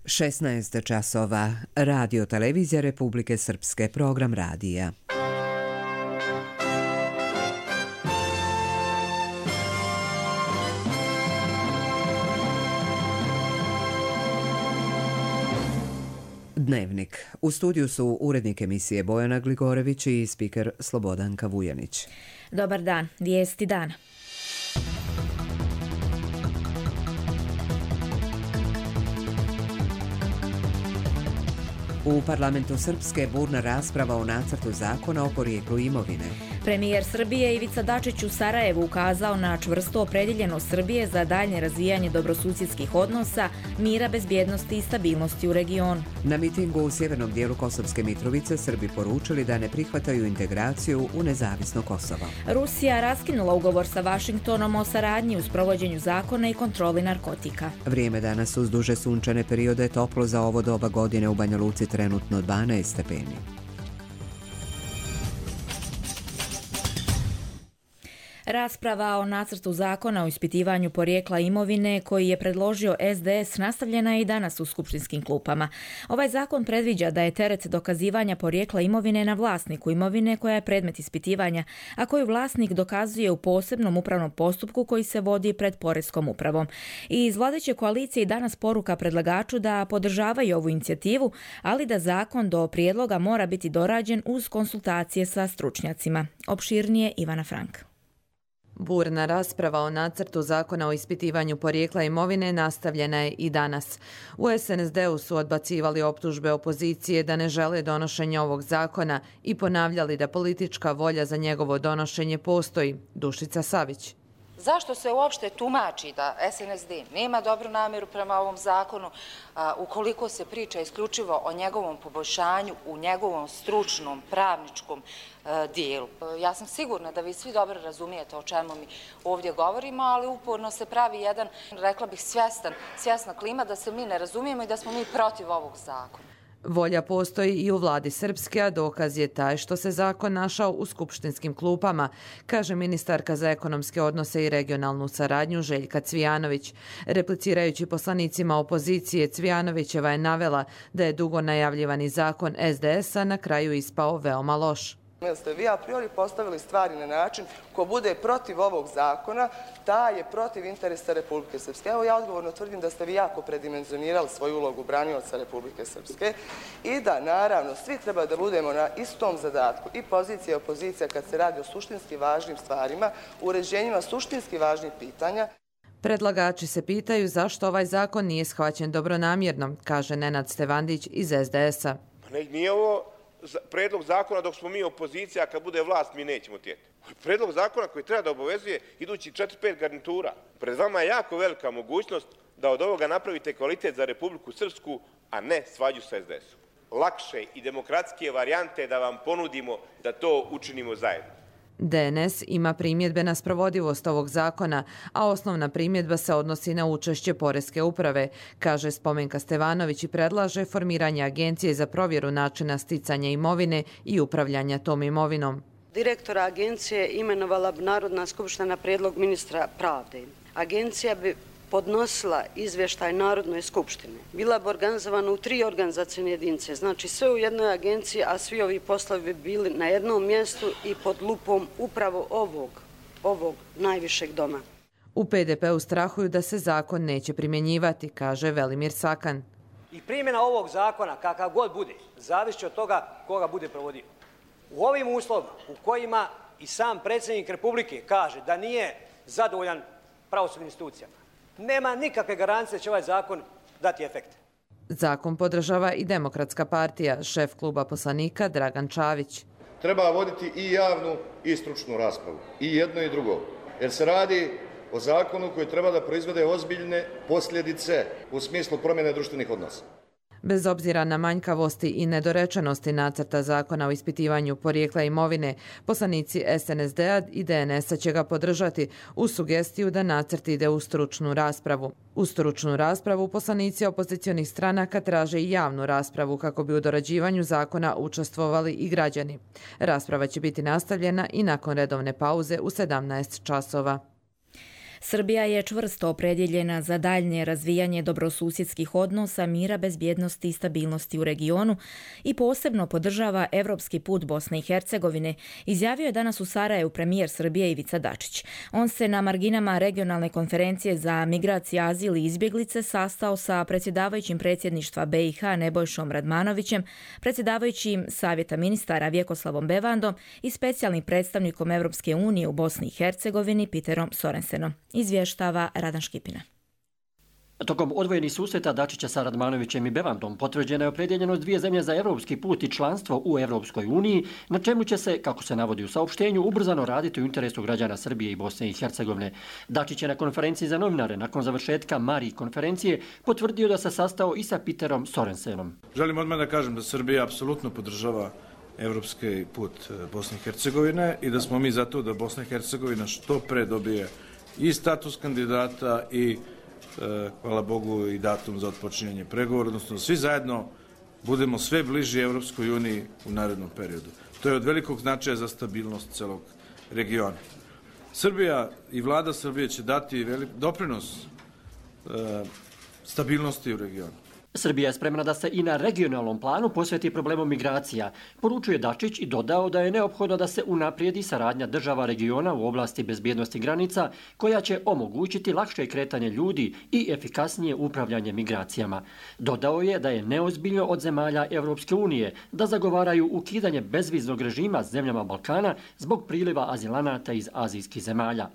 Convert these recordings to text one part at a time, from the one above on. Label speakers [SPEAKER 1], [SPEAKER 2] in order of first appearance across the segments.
[SPEAKER 1] 16 časova. Radio Televizija Republike Srpske, program radija. Dnevnik. U studiju su urednik emisije Bojana Gligorević i spiker Slobodanka Vujanić.
[SPEAKER 2] Dobar dan, vijesti dana.
[SPEAKER 1] U parlamentu Srpske burna rasprava o nacrtu zakona o porijeklu imovine.
[SPEAKER 2] Premijer Srbije Ivica Dačić u Sarajevu ukazao na čvrsto opredjeljenost Srbije za daljnje razvijanje dobrosusjedskih odnosa, mira, bezbjednosti i stabilnosti u regionu.
[SPEAKER 1] Na mitingu u sjevernom dijelu Kosovske Mitrovice Srbi poručili da ne prihvataju integraciju u nezavisno Kosovo.
[SPEAKER 2] Rusija raskinula ugovor sa Vašingtonom o saradnji u sprovođenju zakona i kontroli narkotika.
[SPEAKER 1] Vrijeme danas uz duže sunčane periode toplo za ovo doba godine u Banja Luci trenutno 12 stepeni.
[SPEAKER 2] Rasprava o nacrtu zakona o ispitivanju porijekla imovine koji je predložio SDS nastavljena je i danas u skupštinskim klupama. Ovaj zakon predviđa da je teret dokazivanja porijekla imovine na vlasniku imovine koja je predmet ispitivanja, a koju vlasnik dokazuje u posebnom upravnom postupku koji se vodi pred Poreskom upravom. I iz vladajuće koalicije i danas poruka predlagaču da podržavaju ovu inicijativu, ali da zakon do prijedloga mora biti dorađen uz konsultacije sa stručnjacima. Opširnije Ivana Frank.
[SPEAKER 3] Burna rasprava o nacrtu zakona o ispitivanju porijekla imovine nastavljena je i danas. U SNSD-u su odbacivali optužbe opozicije da ne žele donošenje ovog zakona i ponavljali da politička volja za njegovo donošenje postoji. Dušica Savić.
[SPEAKER 4] Zašto se uopšte tumači da SNSD nema dobru namjeru prema ovom zakonu ukoliko se priča isključivo o njegovom poboljšanju u njegovom stručnom, pravničkom dijelu? Ja sam sigurna da vi svi dobro razumijete o čemu mi ovdje govorimo, ali uporno se pravi jedan, rekla bih, svjesna klima da se mi ne razumijemo i da smo mi protiv ovog zakona.
[SPEAKER 3] Volja postoji i u vladi Srpske, a dokaz je taj što se zakon našao u skupštinskim klupama, kaže ministarka za ekonomske odnose i regionalnu saradnju Željka Cvijanović. Replicirajući poslanicima opozicije, Cvijanovićeva je navela da je dugo najavljivani zakon SDS-a na kraju ispao veoma loš.
[SPEAKER 5] Jer ste vi a priori postavili stvari na način ko bude protiv ovog zakona, taj je protiv interesa Republike Srpske. Evo ja odgovorno tvrdim da ste vi jako predimenzionirali svoju ulogu branioca Republike Srpske i da naravno svi treba da budemo na istom zadatku, i pozicija i opozicija, kad se radi o suštinski važnim stvarima, uređenjima suštinski važnih pitanja.
[SPEAKER 3] Predlagači se pitaju zašto ovaj zakon nije shvaćen dobronamjerno, kaže Nenad Stevandić iz SDS-a.
[SPEAKER 6] Nije ovo predlog zakona dok smo mi opozicija, a kad bude vlast mi nećemo tijeti. Predlog zakona koji treba da obavezuje idući 4-5 garnitura. Pred vama je jako velika mogućnost da od ovoga napravite kvalitet za Republiku Srpsku, a ne svađu sa SDS-om. Lakše i demokratskije varijante da vam ponudimo da to učinimo zajedno.
[SPEAKER 3] DNS ima primjedbe na sprovodivost ovog zakona, a osnovna primjedba se odnosi na učešće Poreske uprave, kaže Spomenka Stevanović i predlaže formiranje agencije za provjeru načina sticanja imovine i upravljanja tom imovinom.
[SPEAKER 7] Direktora agencije imenovala bi Narodna skupština na prijedlog ministra pravde. Agencija bi podnosila izvještaj Narodnoj skupštini. Bila bi organizovana u 3 organizacijne jedinice, znači sve u jednoj agenciji, a svi ovi poslovi bi bili na jednom mjestu i pod lupom upravo ovog najvišeg doma.
[SPEAKER 3] U PDP-u strahuju da se zakon neće primjenjivati, kaže Velimir Sakan.
[SPEAKER 8] I primjena ovog zakona, kakav god bude, zavisi od toga koga bude provodio. U ovim uslovima u kojima i sam predsjednik Republike kaže da nije zadovoljan pravosudnim institucijama, nema nikakve garancije da će ovaj zakon dati efekte.
[SPEAKER 3] Zakon podržava i Demokratska partija, šef kluba poslanika Dragan Čavić.
[SPEAKER 9] Treba voditi i javnu i stručnu raspravu, i jedno i drugo, jer se radi o zakonu koji treba da proizvede ozbiljne posljedice u smislu promjene društvenih odnosa.
[SPEAKER 3] Bez obzira na manjkavosti i nedorečenosti nacrta zakona o ispitivanju porijekla imovine, poslanici SNSD-a i DNS-a će ga podržati uz sugestiju da nacrt ide u stručnu raspravu. U stručnu raspravu poslanici opozicionih stranaka traže i javnu raspravu kako bi u dorađivanju zakona učestvovali i građani. Rasprava će biti nastavljena i nakon redovne pauze u 17 časova.
[SPEAKER 2] Srbija je čvrsto opredjeljena za daljnje razvijanje dobrosusjedskih odnosa, mira, bezbjednosti i stabilnosti u regionu i posebno podržava evropski put Bosne i Hercegovine, izjavio je danas u Sarajevu premijer Srbije Ivica Dačić. On se na marginama regionalne konferencije za migracije, azil i izbjeglice sastao sa predsjedavajućim predsjedništva BiH Nebojšom Radmanovićem, predsjedavajućim Savjeta ministara Vjekoslavom Bevandom i specijalnim predstavnikom Evropske unije u Bosni i Hercegovini Peterom Sorensenom. Izvještava Radan Škipina.
[SPEAKER 10] Tokom odvojenih susreta Dačića sa Radmanovićem i Bevandom potvrđena je opredjeljenost dvije zemlje za evropski put i članstvo u Evropskoj uniji, na čemu će se, kako se navodi u saopštenju, ubrzano raditi u interesu građana Srbije i Bosne i Hercegovine. Dačić je na konferenciji za novinare nakon završetka Mariji konferencije potvrdio da se sastao i sa Peterom Sorensenom.
[SPEAKER 11] Želim odmah da kažem da Srbija apsolutno podržava evropski put Bosne i Hercegovine i da smo mi zato da Bosna i Hercegovina što pre dobije i status kandidata i hvala Bogu i datum za otpočinjanje pregovora, odnosno svi zajedno budemo sve bliži Evropskoj uniji u narednom periodu. To je od velikog značaja za stabilnost celog regiona. Srbija i vlada Srbije će dati doprinos stabilnosti u regionu.
[SPEAKER 10] Srbija je spremna da se i na regionalnom planu posveti problemu migracija, poručuje Dačić i dodao da je neophodno da se unaprijedi saradnja država regiona u oblasti bezbjednosti granica, koja će omogućiti lakše kretanje ljudi i efikasnije upravljanje migracijama. Dodao je da je neozbiljno od zemalja Evropske unije da zagovaraju ukidanje bezviznog režima zemljama Balkana zbog priliva azilanata iz azijskih zemalja.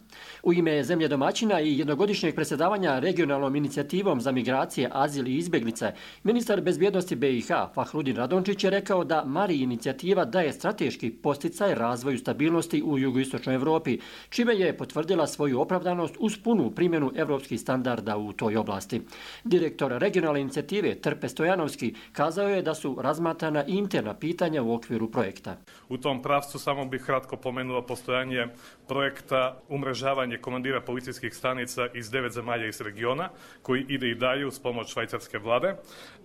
[SPEAKER 10] U ime zemlje domaćina i jednogodišnjeg predsjedavanja regionalnom inicijativom za migracije, azil i izbjeglice, ministar bezbjednosti BiH Fahrudin Radončić je rekao da Mari inicijativa daje strateški posticaj razvoju stabilnosti u jugoistočnoj Evropi, čime je potvrdila svoju opravdanost uz punu primjenu evropskih standarda u toj oblasti. Direktor regionalne inicijative Trpe Stojanovski kazao je da su razmatrana i interna pitanja u okviru projekta.
[SPEAKER 12] U tom pravcu samo bih kratko pomenuo postojanje projekta umrežavanje komandira policijskih stanica iz 9 zemalja iz regiona, koji ide i dalje uz pomoć švajcarske vlade,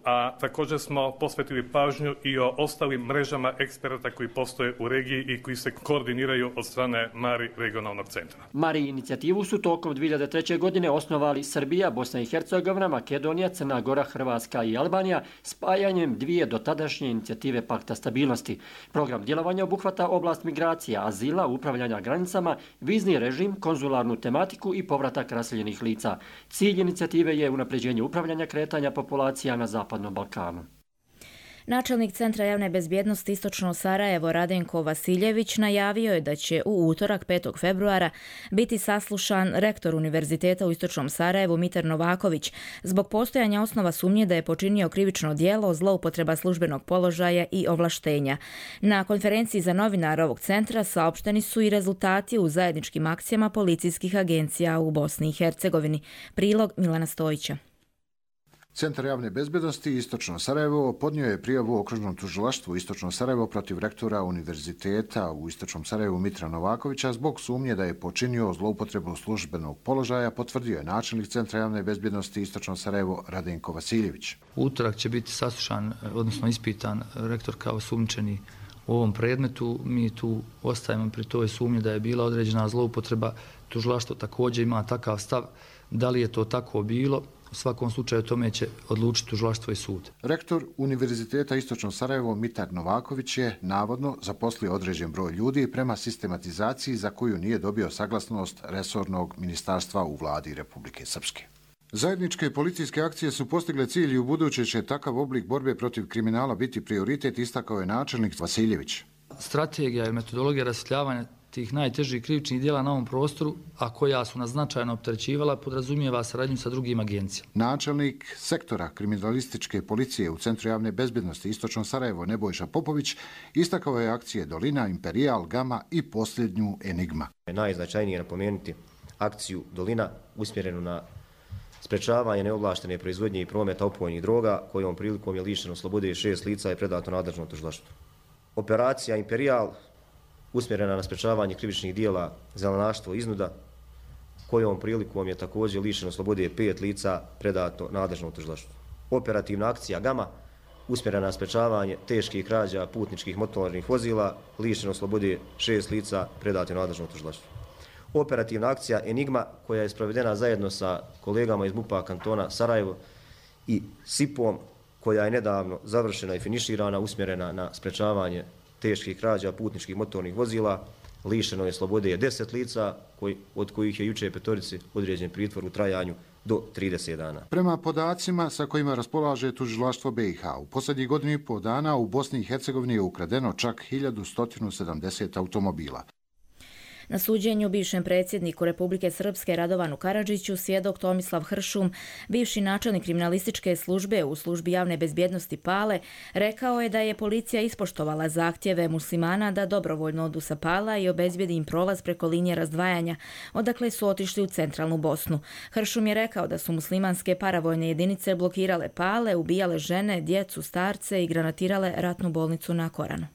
[SPEAKER 12] a također smo posvetili pažnju i o ostalim mrežama eksperata koji postoje u regiji i koji se koordiniraju od strane Mari regionalnog centra.
[SPEAKER 10] Mari inicijativu su tokom 2003. godine osnovali Srbija, Bosna i Hercegovina, Makedonija, Crna Gora, Hrvatska i Albanija spajanjem dvije dotadašnje inicijative Pakta stabilnosti. Program djelovanja obuhvata oblast migracija, azila, upravljanja granicama, vizni režim, konzularnu tematiku i povratak raseljenih lica. Cilj inicijative je unapređenje upravljanja kretanja populacija na Zapadnom Balkanu.
[SPEAKER 2] Načelnik Centra javne bezbjednosti Istočno Sarajevo Radenko Vasiljević najavio je da će u utorak 5. februara biti saslušan rektor Univerziteta u Istočnom Sarajevu Mitar Novaković zbog postojanja osnova sumnje da je počinio krivično djelo, zloupotreba službenog položaja i ovlaštenja. Na konferenciji za novinare ovog centra saopšteni su i rezultati u zajedničkim akcijama policijskih agencija u Bosni i Hercegovini. Prilog Milana Stojića.
[SPEAKER 13] Centar javne bezbjednosti Istočno Sarajevo podnio je prijavu okružnom tužilaštvu Istočno Sarajevo protiv rektora Univerziteta u Istočnom Sarajevu Mitra Novakovića zbog sumnje da je počinio zloupotrebu službenog položaja, potvrdio je načelnik Centra javne bezbjednosti Istočno Sarajevo Radenko Vasiljević.
[SPEAKER 14] Utorak će biti saslušan, odnosno ispitan rektor kao sumnjičeni u ovom predmetu. Mi tu ostajemo pri toj sumnji da je bila određena zloupotreba. Tužilaštvo također ima takav stav. Da li je to tako bilo? U svakom slučaju tome će odlučiti tužilaštvo i sud.
[SPEAKER 13] Rektor Univerziteta Istočno Sarajevo Mitar Novaković je navodno zaposlio određen broj ljudi prema sistematizaciji za koju nije dobio saglasnost resornog ministarstva u vladi Republike Srpske. Zajedničke policijske akcije su postigle cilj i u buduće će takav oblik borbe protiv kriminala biti prioritet, istakao je načelnik Vasiljević.
[SPEAKER 14] Strategija i metodologija rasvjetljavanja tih najtežih krivičnih djela na ovom prostoru, a koja su nas značajno opterećivala, podrazumijeva saradnju sa drugim agencijama.
[SPEAKER 13] Načelnik sektora kriminalističke policije u Centru javne bezbjednosti Istočno Sarajevo Nebojša Popović istakao je akcije Dolina, Imperial, Gama i posljednju Enigma.
[SPEAKER 15] Najznačajnije je napomenuti akciju Dolina usmjerenu na sprečavanje neovlaštene proizvodnje i prometa opojnih droga, kojom prilikom je lišeno slobode 6 lica i predato nadležnom tužilaštvu. Operacija Imperial usmjerena na sprečavanje krivičnih dijela zelenaštvo i iznuda, kojom prilikom je također lišeno slobode 5 lica predato nadležnom tužilaštvu. Operativna akcija Gama usmjerena na sprečavanje teških krađa putničkih motornih vozila, lišeno slobode 6 lica predato nadležnom tužilaštvu. operativna akcija Enigma koja je sprovedena zajedno sa kolegama iz MUP-a kantona Sarajevo i SIP-om koja je nedavno završena i finiširana, usmjerena na sprečavanje teških krađa putničkih motornih vozila. Lišeno je slobode 10 lica, od kojih je juče 5 određen pritvor u trajanju do 30 dana.
[SPEAKER 13] Prema podacima sa kojima raspolaže tužilaštvo BiH, u posljednjih godinu i pol dana u Bosni i Hercegovini je ukradeno čak 1170 automobila.
[SPEAKER 2] Na suđenju bivšem predsjedniku Republike Srpske Radovanu Karadžiću svjedok Tomislav Hršum, bivši načelnik kriminalističke službe u službi javne bezbjednosti Pale, rekao je da je policija ispoštovala zahtjeve muslimana da dobrovoljno odu sa Pala i obezbijedi im prolaz preko linije razdvajanja, odakle su otišli u centralnu Bosnu. Hršum je rekao da su muslimanske paravojne jedinice blokirale Pale, ubijale žene, djecu, starce i granatirale ratnu bolnicu na Koranu.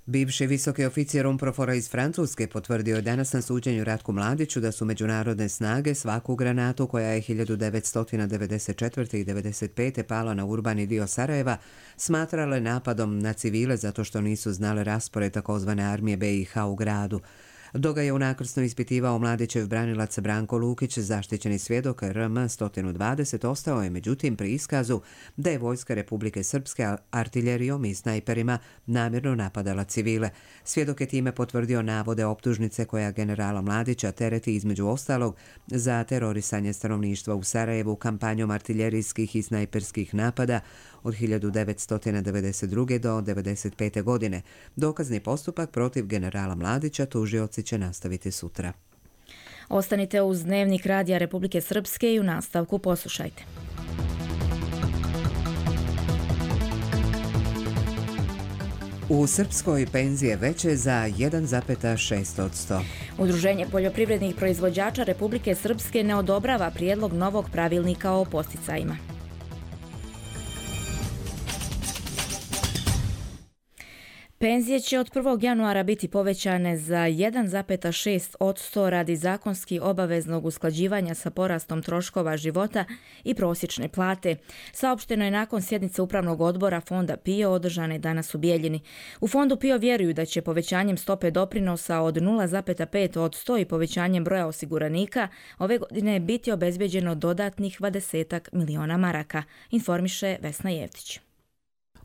[SPEAKER 1] Bivši visoki oficer UNPROFOR-a iz Francuske potvrdio je danas na suđenju Ratku Mladiću da su međunarodne snage svaku granatu koja je 1994. i 1995. pala na urbani dio Sarajeva smatrale napadom na civile zato što nisu znale raspored takozvane armije BiH u gradu. Dok ga je unakrsno ispitivao Mladićev branilac Branko Lukić, zaštićeni svjedok RM 120, ostao je međutim pri iskazu da je vojska Republike Srpske artiljerijom i snajperima namjerno napadala civile. Svjedok je time potvrdio navode optužnice koja generala Mladića tereti između ostalog za terorisanje stanovništva u Sarajevu kampanjom artiljerijskih i snajperskih napada od 1992. do 1995. godine. Dokazni postupak protiv generala Mladića tužioci će nastaviti sutra.
[SPEAKER 2] Ostanite uz Dnevnik Radija Republike Srpske i u nastavku poslušajte.
[SPEAKER 1] U Srpskoj penzije veće za 1,6%.
[SPEAKER 2] Udruženje poljoprivrednih proizvođača Republike Srpske ne odobrava prijedlog novog pravilnika o posticajima. Penzije će od 1. januara biti povećane za 1,6% radi zakonski obaveznog usklađivanja sa porastom troškova života i prosječne plate. Saopšteno je nakon sjednice Upravnog odbora Fonda PIO održane danas u Bijeljini. U Fondu PIO vjeruju da će povećanjem stope doprinosa od 0,5% i povećanjem broja osiguranika ove godine biti obezbeđeno dodatnih 20 miliona maraka, informiše Vesna Jevtić.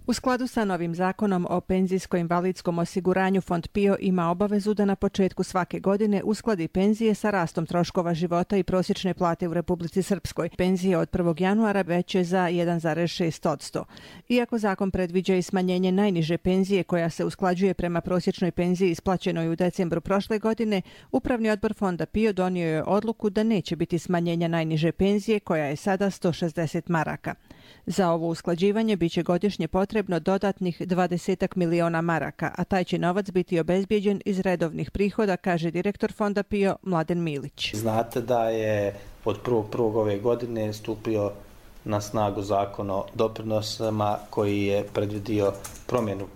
[SPEAKER 16] U skladu sa novim zakonom o penzijsko-invalidskom osiguranju, Fond PIO ima obavezu da na početku svake godine uskladi penzije sa rastom troškova života i prosječne plate u Republici Srpskoj. Penzije od 1. januara veće za 1,6%. Iako zakon predviđa i smanjenje najniže penzije koja se usklađuje prema prosječnoj penziji isplaćenoj u decembru prošle godine, Upravni odbor Fonda PIO donio je odluku da neće biti smanjenja najniže penzije koja je sada 160 maraka. Za ovo usklađivanje biće godišnje potrebno dodatnih 20 miliona maraka, a taj će novac biti obezbijeđen iz redovnih prihoda, kaže direktor Fonda PIO Mladen Milić.
[SPEAKER 17] Znate da je od 1.1. ove godine stupio na snagu zakon o doprinosima koji je predvidio promjenu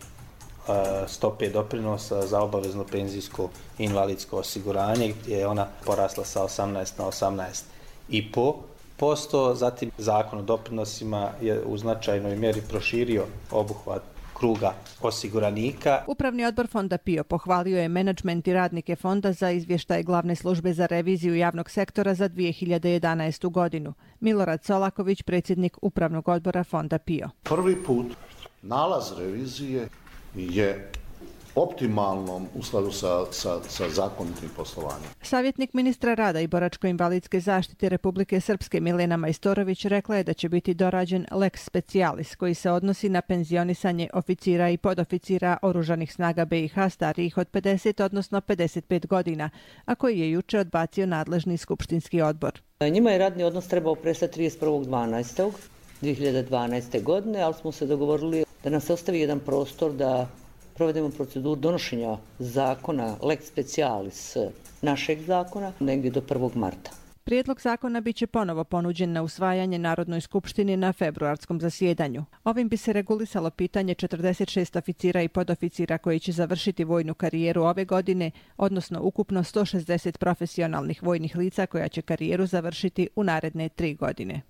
[SPEAKER 17] stope doprinosa za obavezno penzijsko i invalidsko osiguranje, gdje je ona porasla sa 18 na 18,5%. Zatim zakon o doprinosima je u značajnoj mjeri proširio obuhvat kruga osiguranika.
[SPEAKER 16] Upravni odbor Fonda PIO pohvalio je menadžment i radnike fonda za izvještaj Glavne službe za reviziju javnog sektora za 2011. godinu. Milorad Solaković, predsjednik Upravnog odbora Fonda PIO.
[SPEAKER 18] Prvi put nalaz revizije je optimalnom u skladu sa zakonitim poslovanjem.
[SPEAKER 16] Savjetnik ministra rada i boračko-invalidske zaštite Republike Srpske Milena Majstorović rekla je da će biti dorađen lex specialis koji se odnosi na penzionisanje oficira i podoficira oružanih snaga BiH starijih od 50 odnosno 55 godina, a koji je juče odbacio nadležni skupštinski odbor.
[SPEAKER 19] Njima je radni odnos trebao prestati 31.12.2012. godine, ali smo se dogovorili da nas ostavi jedan prostor da provedemo proceduru donošenja zakona lex specialis našeg zakona negdje do 1. marta.
[SPEAKER 16] Prijedlog zakona biće ponovo ponuđen na usvajanje Narodnoj skupštini na februarskom zasjedanju. Ovim bi se regulisalo pitanje 46 oficira i podoficira koji će završiti vojnu karijeru ove godine, odnosno ukupno 160 profesionalnih vojnih lica koja će karijeru završiti u naredne 3 godine.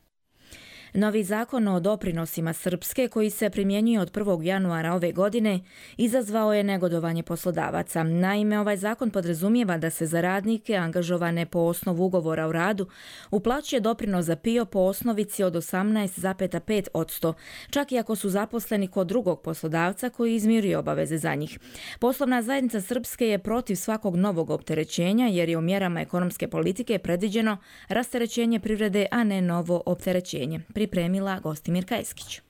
[SPEAKER 2] Novi zakon o doprinosima Srpske, koji se primjenjuje od 1. januara ove godine, izazvao je negodovanje poslodavaca. Naime, ovaj zakon podrazumijeva da se za radnike angažovane po osnovu ugovora o radu uplaćuje doprinos za PIO po osnovici od 18,5%, čak i ako su zaposleni kod drugog poslodavca koji izmiruje obaveze za njih. Poslovna zajednica Srpske je protiv svakog novog opterećenja jer je u mjerama ekonomske politike predviđeno rasterećenje privrede, a ne novo opterećenje. Pripremila Gostimir Kajskić.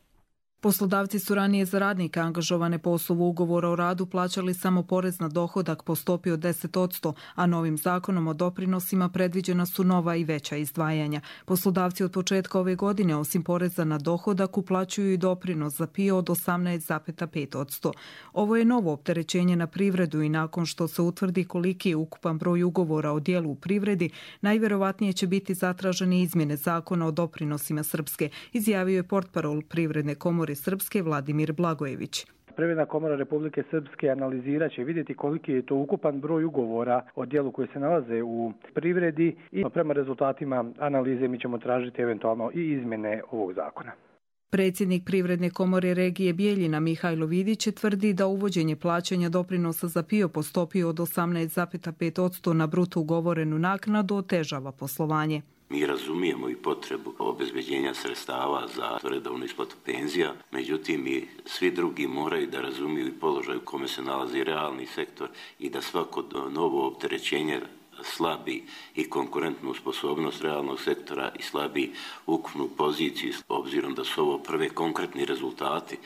[SPEAKER 20] Poslodavci su ranije za radnike angažovane po osnovu ugovora o radu plaćali samo porez na dohodak po stopi od 10%, a novim zakonom o doprinosima predviđena su nova i veća izdvajanja. Poslodavci od početka ove godine osim poreza na dohodak uplaćuju i doprinos za PIO od 18,5%. Ovo je novo opterećenje na privredu i nakon što se utvrdi koliki je ukupan broj ugovora o djelu u privredi, najvjerovatnije će biti zatražene izmjene zakona o doprinosima Srpske, izjavio je portparol Privredne komore Srpske Vladimir Blagojević.
[SPEAKER 21] Privredna komora Republike Srpske analizirat će vidjeti koliki je to ukupan broj ugovora o djelu koji se nalaze u privredi i prema rezultatima analize mi ćemo tražiti eventualno i izmjene ovog zakona.
[SPEAKER 20] Predsjednik Privredne komore regije Bijeljina Mihajlo Vidić tvrdi da uvođenje plaćanja doprinosa za PIO po stopi od 18,5% na bruto ugovorenu naknadu otežava poslovanje.
[SPEAKER 22] Mi razumijemo i potrebu obezbeđenja sredstava za redovnu isplatu penzija, međutim i svi drugi moraju da razumiju i položaj u kome se nalazi realni sektor i da svako novo opterećenje slabi i konkurentnu sposobnost realnog sektora i slabi ukupnu poziciju, obzirom da su ovo prve konkretni rezultati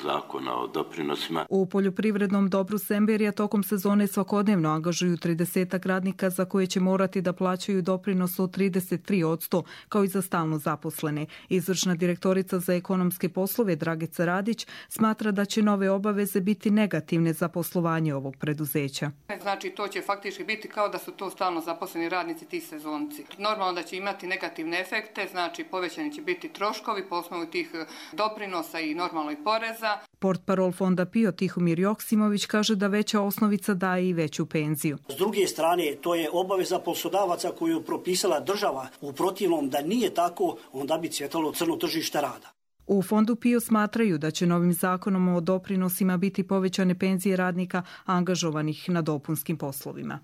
[SPEAKER 22] zakona o doprinosima.
[SPEAKER 20] U poljoprivrednom dobru Semberija tokom sezone svakodnevno angažuju 30 radnika za koje će morati da plaćaju doprinos od 33%, kao i za stalno zaposlene. Izvršna direktorica za ekonomske poslove Dragica Radić smatra da će nove obaveze biti negativne za poslovanje ovog preduzeća.
[SPEAKER 23] Znači, to će faktički biti kao da su to stalno zaposleni radnici, ti sezonci. Normalno da će imati negativne efekte, znači povećani će biti troškovi po osnovu tih doprinosa i normalno i poreza.
[SPEAKER 20] Portparol fonda PIO Tihomir Joksimović kaže da veća osnovica daje i veću penziju.
[SPEAKER 24] S druge strane, to je obaveza poslodavaca koju je propisala država. U protivnom, da nije tako, onda bi cvjetalo crno tržište rada.
[SPEAKER 20] U fondu PIO smatraju da će novim zakonom o doprinosima biti povećane penzije radnika angažovanih na dopunskim poslovima.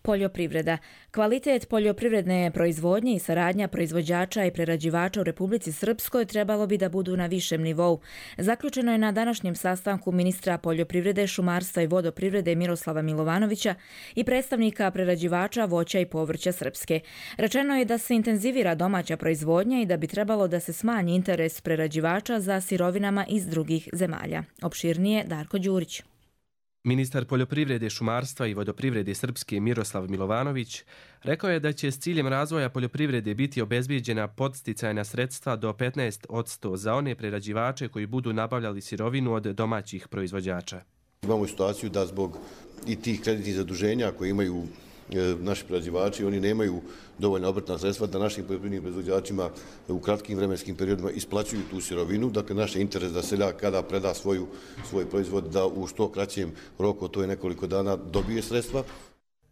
[SPEAKER 2] Poljoprivreda. Kvalitet poljoprivredne proizvodnje i saradnja proizvođača i prerađivača u Republici Srpskoj trebalo bi da budu na višem nivou. Zaključeno je na današnjem sastanku ministra poljoprivrede, šumarstva i vodoprivrede Miroslava Milovanovića i predstavnika prerađivača voća i povrća Srpske. Rečeno je da se intenzivira domaća proizvodnja i da bi trebalo da se smanji interes prerađivača za sirovinama iz drugih zemalja. Opširnije Darko Đurić.
[SPEAKER 25] Ministar poljoprivrede, šumarstva i vodoprivrede Srpske Miroslav Milovanović rekao je da će s ciljem razvoja poljoprivrede biti obezbijeđena podsticajna sredstva do 15% za one prerađivače koji budu nabavljali sirovinu od domaćih proizvođača.
[SPEAKER 26] Imamo situaciju da zbog i tih kreditnih zaduženja koje imaju naši prerađivači, oni nemaju dovoljna obrtna sredstva da našim poljoprivrednim proizvođačima u kratkim vremenskim periodima isplaćuju tu sirovinu. Dakle, naš je interes da seljak kada preda svoj proizvod da u što kraćem roku, to je nekoliko dana, dobije sredstva.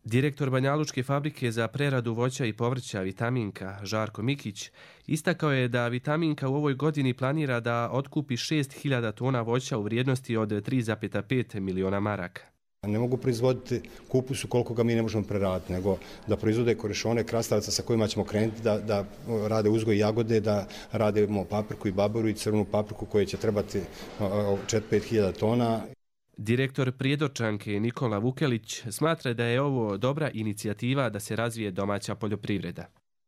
[SPEAKER 25] Direktor Banjalučke fabrike za preradu voća i povrća Vitaminka Žarko Mikić istakao je da Vitaminka u ovoj godini planira da otkupi 6.000 tona voća u vrijednosti od 3,5 miliona maraka.
[SPEAKER 27] Ne mogu proizvoditi kupusu koliko ga mi ne možemo preraditi, nego da proizvode korešone, krastavaca sa kojima ćemo krenuti da rade uzgoj jagode, da radimo papriku i baboru i crvenu papriku koje će trebati 4-5 tona.
[SPEAKER 25] Direktor Prijedorčanke Nikola Vukelić smatra da je ovo dobra inicijativa da se razvije domaća poljoprivreda.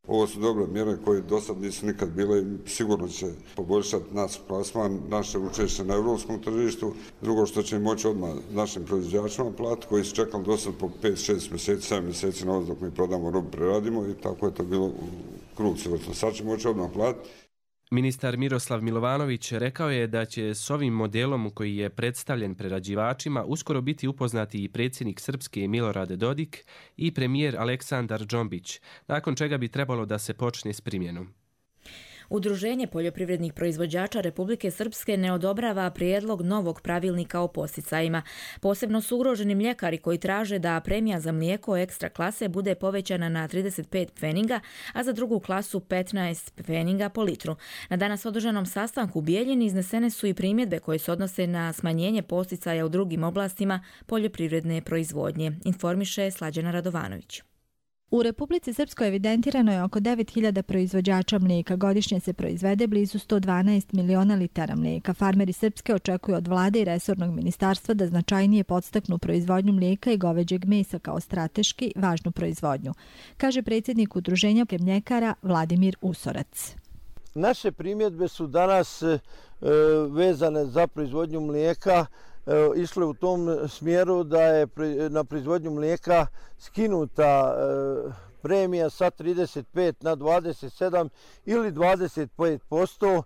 [SPEAKER 28] Ovo su dobre mjere koje do sad nisu nikad bile i sigurno će poboljšati naš plasman, naše učešće na europskom tržištu. Drugo što će moći odmah našim proizvođačima platiti koji su čekali do sad po 5-6 mjeseci, 7 mjeseci na ovo dok mi prodamo robu, preradimo i tako je to bilo u krug cjelotno. Sad će moći odmah platiti.
[SPEAKER 25] Ministar Miroslav Milovanović rekao je da će s ovim modelom koji je predstavljen prerađivačima uskoro biti upoznati i predsjednik Srpske Milorad Dodik i premijer Aleksandar Džombić, nakon čega bi trebalo da se počne s primjenom.
[SPEAKER 2] Udruženje poljoprivrednih proizvođača Republike Srpske ne odobrava prijedlog novog pravilnika o posticajima. Posebno su ugroženi mljekari koji traže da premija za mlijeko ekstra klase bude povećana na 35 pfeninga, a za drugu klasu 15 pfeninga po litru. Na danas održanom sastanku u Bijeljini iznesene su i primjedbe koje se odnose na smanjenje posticaja u drugim oblastima poljoprivredne proizvodnje, informiše Slađana Radovanović.
[SPEAKER 3] U Republici Srpskoj evidentirano je oko 9000 proizvođača mlijeka. Godišnje se proizvede blizu 112 miliona litara mlijeka. Farmeri Srpske očekuju od vlade i resornog ministarstva da značajnije podstaknu proizvodnju mlijeka i goveđeg mesa kao strateški važnu proizvodnju, kaže predsjednik udruženja mljekara Vladimir Usorac.
[SPEAKER 4] Naše primjedbe su danas vezane za proizvodnju mlijeka išle u tom smjeru da je na proizvodnju mlijeka skinuta premija sa 35 na 27 ili 25%,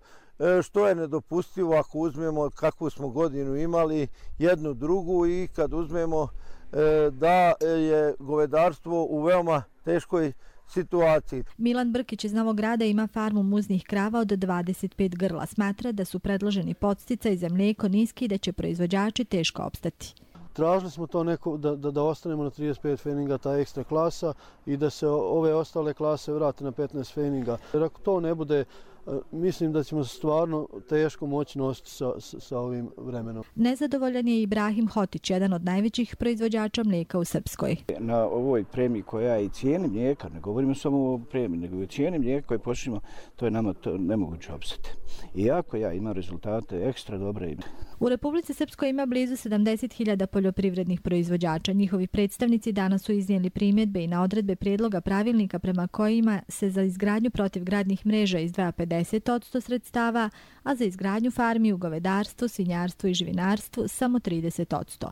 [SPEAKER 4] što je nedopustivo ako uzmemo kakvu smo godinu imali, jednu drugu, i kad uzmemo da je govedarstvo u veoma teškoj situaciji.
[SPEAKER 3] Milan Brkić iz Novog Grada ima farmu muznih krava od 25 grla. Smatra da su predloženi podsticaji za mlijeko niski i da će proizvođači teško opstati.
[SPEAKER 5] Tražili smo to da ostanemo na 35 feninga, ta ekstra klasa, i da se ove ostale klase vrate na 15 feninga. Jer ako to ne bude, mislim da ćemo stvarno teško moći nositi sa ovim vremenom.
[SPEAKER 3] Nezadovoljan je Ibrahim Hotić, jedan od najvećih proizvođača mlijeka u Srpskoj.
[SPEAKER 6] Na ovoj premiji koja je i cijeni mlijeka, ne govorimo samo o premiji, nego i cijeni mlijeka koje počnemo, to je nama nemoguće opstati. Iako ja imam rezultate ekstra dobre.
[SPEAKER 3] U Republici Srpskoj ima blizu 70.000 poljoprivrednih proizvođača. Njihovi predstavnici danas su iznijeli primjedbe i na odredbe prijedloga pravilnika prema kojima se za izgradnju protivgradnih mreža izdvaja 50% sredstava, a za izgradnju farmi u govedarstvu, svinjarstvu i živinarstvu samo 30%.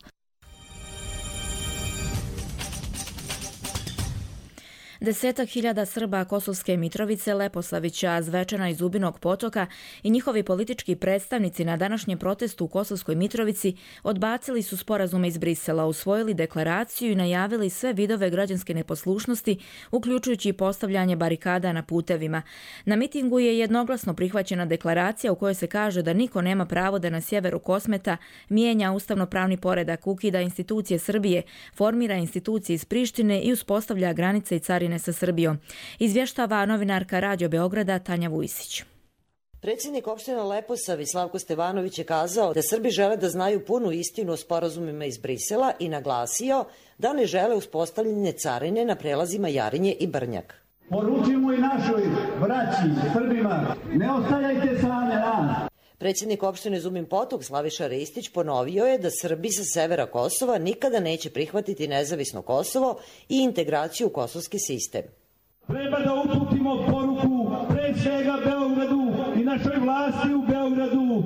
[SPEAKER 2] Desetak hiljada Srba Kosovske Mitrovice, Leposavića, Zvečana i Zubinog Potoka i njihovi politički predstavnici na današnjem protestu u Kosovskoj Mitrovici odbacili su sporazume iz Brisela, usvojili deklaraciju i najavili sve vidove građanske neposlušnosti, uključujući postavljanje barikada na putevima. Na mitingu je jednoglasno prihvaćena deklaracija u kojoj se kaže da niko nema pravo da na sjeveru Kosmeta mijenja ustavno-pravni poredak, ukida institucije Srbije, formira institucije iz Prištine i uspostavlja granice i carine sa Srbijom. Izvještava novinarka Radio Beograda Tanja Vujsić.
[SPEAKER 7] Predsjednik opštine Leposavić Slavko Stevanović je kazao da Srbi žele da znaju punu istinu o sporazumima iz Brisela i naglasio da ne žele uspostavljanje carine na prelazima Jarinje i Brnjak.
[SPEAKER 8] Poručimo i našoj braći Srbima, ne ostavljajte same nas.
[SPEAKER 7] Predsjednik opštine Zubin Potok Slaviša Ristić ponovio je da Srbi sa severa Kosova nikada neće prihvatiti nezavisno Kosovo i integraciju u kosovski sistem.
[SPEAKER 8] Treba da uputimo poruku pre svega Beogradu i našoj vlasti u Beogradu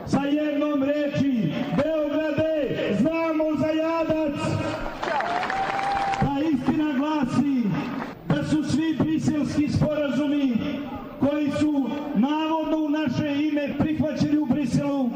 [SPEAKER 8] sa jednom reči: Beograde, znamo za jadac! Ta istina glasi da su svi briselski sporazumi koji su navodno u naše ime prihvaćeni u Briselu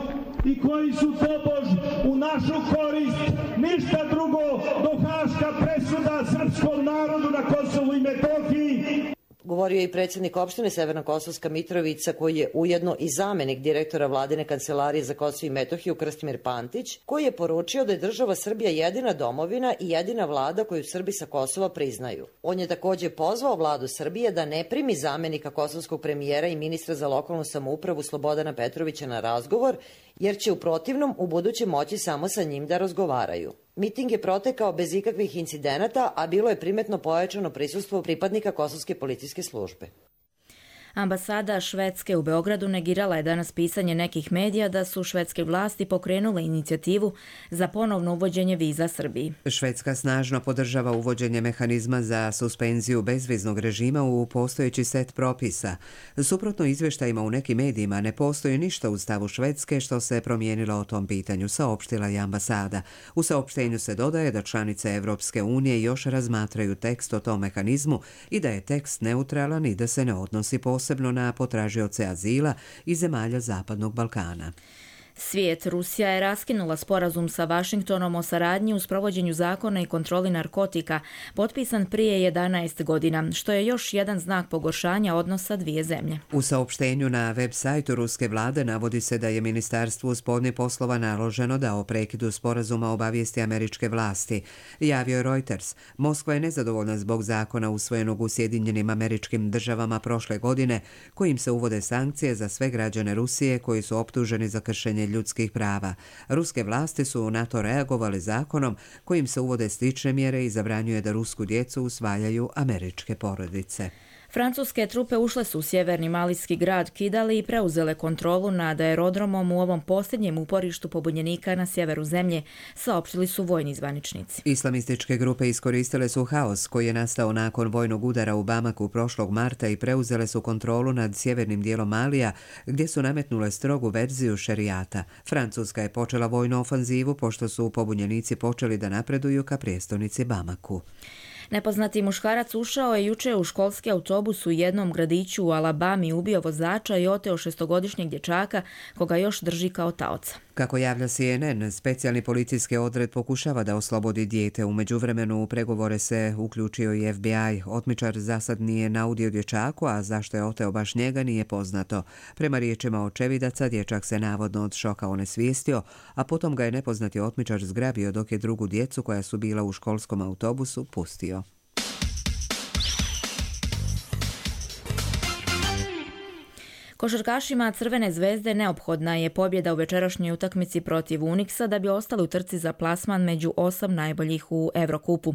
[SPEAKER 8] i koji su tobož u našu korist, ništa drugo do haška presuda srpskom narodu na Kosovu i Metohiji.
[SPEAKER 7] Govorio je i predsjednik opštine Severna Kosovska Mitrovica, koji je ujedno i zamenik direktora Vladine kancelarije za Kosovo i Metohiju Krstimir Pantić, koji je poručio da je država Srbija jedina domovina i jedina vlada koju Srbi sa Kosova priznaju. On je također pozvao vladu Srbije da ne primi zamenika kosovskog premijera i ministra za lokalnu samoupravu Slobodana Petrovića na razgovor, jer će u protivnom u buduće moći samo sa njim da razgovaraju. Miting je protekao bez ikakvih incidenata, a bilo je primetno pojačano prisustvo pripadnika kosovske policijske službe.
[SPEAKER 2] Ambasada Švedske u Beogradu negirala je danas pisanje nekih medija da su švedske vlasti pokrenule inicijativu za ponovno uvođenje viza Srbiji.
[SPEAKER 1] Švedska snažno podržava uvođenje mehanizma za suspenziju bezviznog režima u postojeći set propisa. Suprotno izvještajima u nekim medijima ne postoji ništa u stavu Švedske što se promijenilo o tom pitanju, saopštila je ambasada. U saopštenju se dodaje da članice Evropske unije još razmatraju tekst o tom mehanizmu i da je tekst neutralan i da se ne odnosi posebno na potražioce azila iz zemalja Zapadnog Balkana.
[SPEAKER 2] Svijet. Rusija je raskinula sporazum sa Vašingtonom o saradnji u sprovođenju zakona i kontroli narkotika, potpisan prije 11 godina, što je još jedan znak pogoršanja odnosa dvije zemlje.
[SPEAKER 1] U saopštenju na web sajtu ruske vlade navodi se da je Ministarstvu spoljnih poslova naloženo da o prekidu sporazuma obavijesti američke vlasti. Javio je Reuters. Moskva je nezadovoljna zbog zakona usvojenog u Sjedinjenim Američkim Državama prošle godine, kojim se uvode sankcije za sve građane Rusije koji su optuženi za kršenje ljudskih prava. Ruske vlasti su na to reagovali zakonom kojim se uvode slične mjere i zabranjuje da rusku djecu usvajaju američke porodice.
[SPEAKER 2] Francuske trupe ušle su u sjeverni malijski grad Kidali i preuzele kontrolu nad aerodromom u ovom posljednjem uporištu pobunjenika na sjeveru zemlje, saopštili su vojni zvaničnici.
[SPEAKER 1] Islamističke grupe iskoristile su haos koji je nastao nakon vojnog udara u Bamaku prošlog marta i preuzele su kontrolu nad sjevernim dijelom Malija, gdje su nametnule strogu verziju šerijata. Francuska je počela vojnu ofanzivu pošto su pobunjenici počeli da napreduju ka prijestolnici Bamaku.
[SPEAKER 2] Nepoznati muškarac ušao je juče u školski autobus u jednom gradiću u Alabami, ubio vozača i oteo 6-godišnjeg dječaka koga još drži kao taoca.
[SPEAKER 1] Kako javlja CNN, specijalni policijski odred pokušava da oslobodi dijete. U međuvremenu u pregovore se uključio i FBI. Otmičar zasad nije naudio dječaku, a zašto je oteo baš njega nije poznato. Prema riječima očevidaca, dječak se navodno od šoka onesvijestio, a potom ga je nepoznati otmičar zgrabio dok je drugu djecu koja su bila u školskom autobusu pustio.
[SPEAKER 2] Košarkašima Crvene zvezde neophodna je pobjeda u večerašnjoj utakmici protiv Unixa da bi ostali u trci za plasman među 8 najboljih u Evrokupu.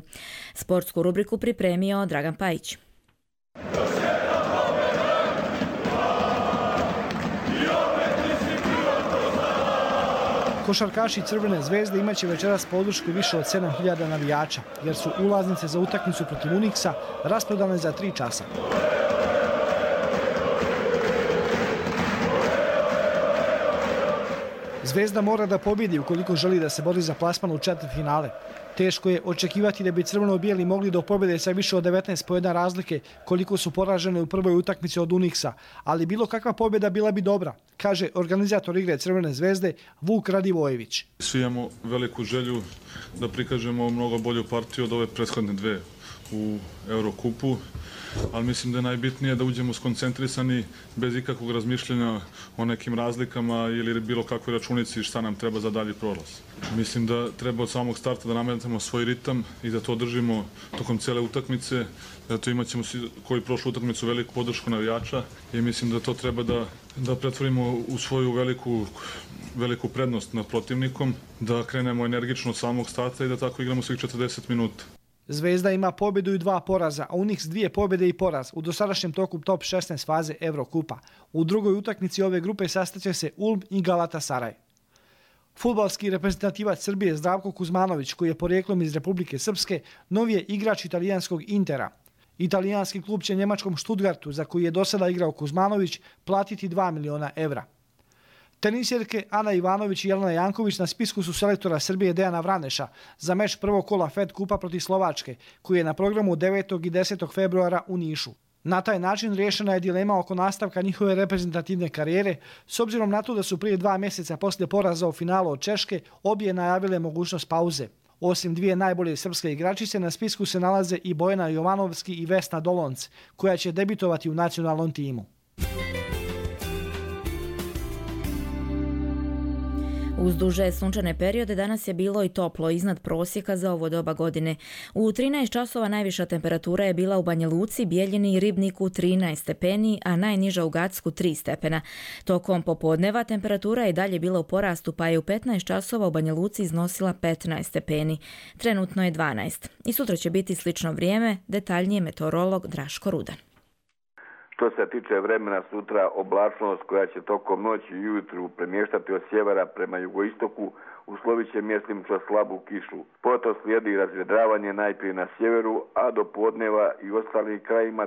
[SPEAKER 2] Sportsku rubriku pripremio Dragan Pajić.
[SPEAKER 9] Košarkaši Crvene zvezde imaće večeras podršku više od 7.000 navijača, jer su ulaznice za utakmicu protiv Unixa rasprodane za 3 časa. Zvezda mora da pobjedi ukoliko želi da se bori za plasman u četvrtfinale. Teško je očekivati da bi crveno-bijeli mogli do pobjede sa više od 19 poena razlike koliko su poražene u prvoj utakmici od Unixa, ali bilo kakva pobjeda bila bi dobra, kaže organizator igre Crvene zvezde Vuk Radivojević.
[SPEAKER 10] Svi imamo veliku želju da prikažemo mnogo bolju partiju od ove prethodne dve u Eurokupu, ali mislim da je najbitnije da uđemo skoncentrisani bez ikakvog razmišljanja o nekim razlikama ili bilo kakvoj računici šta nam treba za dalji prolaz. Mislim da treba od samog starta da nametnemo svoj ritam i da to držimo tokom cele utakmice. Zato imat ćemo koji prošlu utakmicu veliku podršku navijača i mislim da to treba da pretvorimo u svoju veliku prednost nad protivnikom, da krenemo energično od samog starta i da tako igramo svih 40 minuta.
[SPEAKER 9] Zvezda ima pobjedu i 2 poraza, a Unix 2 pobjede i poraz u dosadašnjem toku top 16 faze Evrokupa. U drugoj utakmici ove grupe sastaće se Ulm i Galatasaraj. Fudbalski reprezentativac Srbije Zdravko Kuzmanović, koji je porijeklom iz Republike Srpske, novi je igrač italijanskog Intera. Italijanski klub će njemačkom Stuttgartu, za koji je do sada igrao Kuzmanović, platiti 2 miliona evra. Tenisjerke Ana Ivanović i Jelena Janković na spisku su selektora Srbije Dejana Vraneša za meč prvog kola Fed Kupa protiv Slovačke, koji je na programu 9. i 10. februara u Nišu. Na taj način riješena je dilema oko nastavka njihove reprezentativne karijere, s obzirom na to da su prije 2 mjeseca poslije poraza u finalu od Češke obje najavile mogućnost pauze. Osim 2 najbolje srpske igračice, na spisku se nalaze i Bojana Jovanovski i Vesna Dolonc, koja će debitovati u nacionalnom timu.
[SPEAKER 2] Uz duže sunčane periode danas je bilo i toplo, iznad prosjeka za ovo doba godine. U 13 časova najviša temperatura je bila u Banja Luci, Bijeljini i Ribniku 13 stepeni, a najniža u Gacku 3 stepena. Tokom popodneva temperatura je dalje bila u porastu, pa je u 15 časova u Banja Luci iznosila 15 stepeni. Trenutno je 12. I sutra će biti slično vrijeme, detaljnije meteorolog Draško Rudan.
[SPEAKER 11] Što se tiče vremena sutra, oblačnost koja će tokom noći i ujutru premještati od sjevera prema jugoistoku, uslovit će mjesnimično slabu kišu. Potom slijedi razvedravanje najprije na sjeveru, a do podneva i ostalim krajima,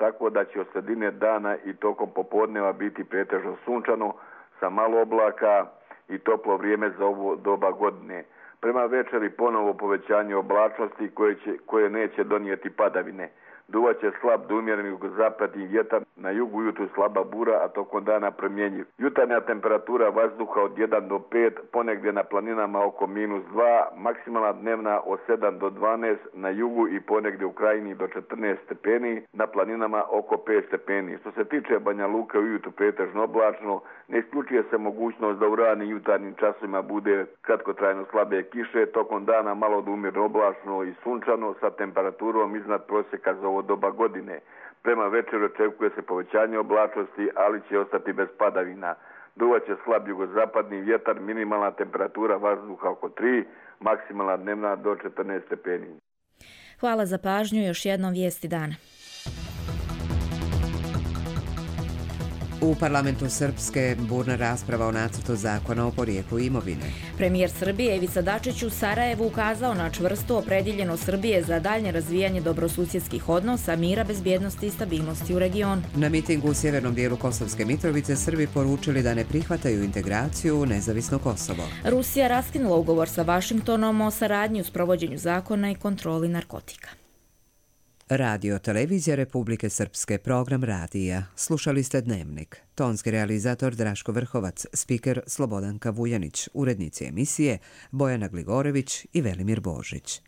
[SPEAKER 11] tako da će od sredine dana i tokom popodneva biti pretežno sunčano, sa malo oblaka i toplo vrijeme za ovo doba godine. Prema večeri ponovo povećanje oblačnosti koje neće donijeti padavine. Duvaće slab do umjereni jugozapadni vjetar, na jugu ujutru slaba bura, a tokom dana promjenjiv. Jutarnja temperatura vazduha od 1 do 5, ponegdje na planinama oko -2, maksimalna dnevna od 7 do 12, na jugu i ponegdje u krajini do 14 stepeni, na planinama oko 5 stepeni. Što se tiče Banja Luke, ujutru pretežno oblačno, ne isključuje se mogućnost da u ranim jutarnjim časovima bude kratkotrajno slabe kiše, tokom dana malo do umjerno oblačno i sunčano sa temperaturom iznad prosjeka za ovo doba godine. Prema večeru očekuje se povećanje oblačnosti, ali će ostati bez padavina. Duvaće slab jugozapadni vjetar, minimalna temperatura vazduha oko 3, maksimalna dnevna do 14 stepeni.
[SPEAKER 2] Hvala za pažnju, još jednom vijesti dana.
[SPEAKER 1] U parlamentu Srpske burna rasprava o nacrtu zakona o porijeklu imovine.
[SPEAKER 2] Premijer Srbije Ivica Dačić u Sarajevu ukazao na čvrstu opredjeljenost Srbije za daljnje razvijanje dobrosusjedskih odnosa, mira, bezbjednosti i stabilnosti u regionu.
[SPEAKER 1] Na mitingu u sjevernom dijelu Kosovske Mitrovice Srbi poručili da ne prihvataju integraciju u nezavisno Kosovo.
[SPEAKER 2] Rusija raskinula ugovor sa Vašingtonom o saradnji u sprovođenju zakona i kontroli narkotika.
[SPEAKER 1] Radio Televizija Republike Srpske, program radija. Slušali ste Dnevnik. Tonski realizator Draško Vrhovac, spiker Slobodanka Vujanić, urednici emisije Bojana Gligorević i Velimir Božić.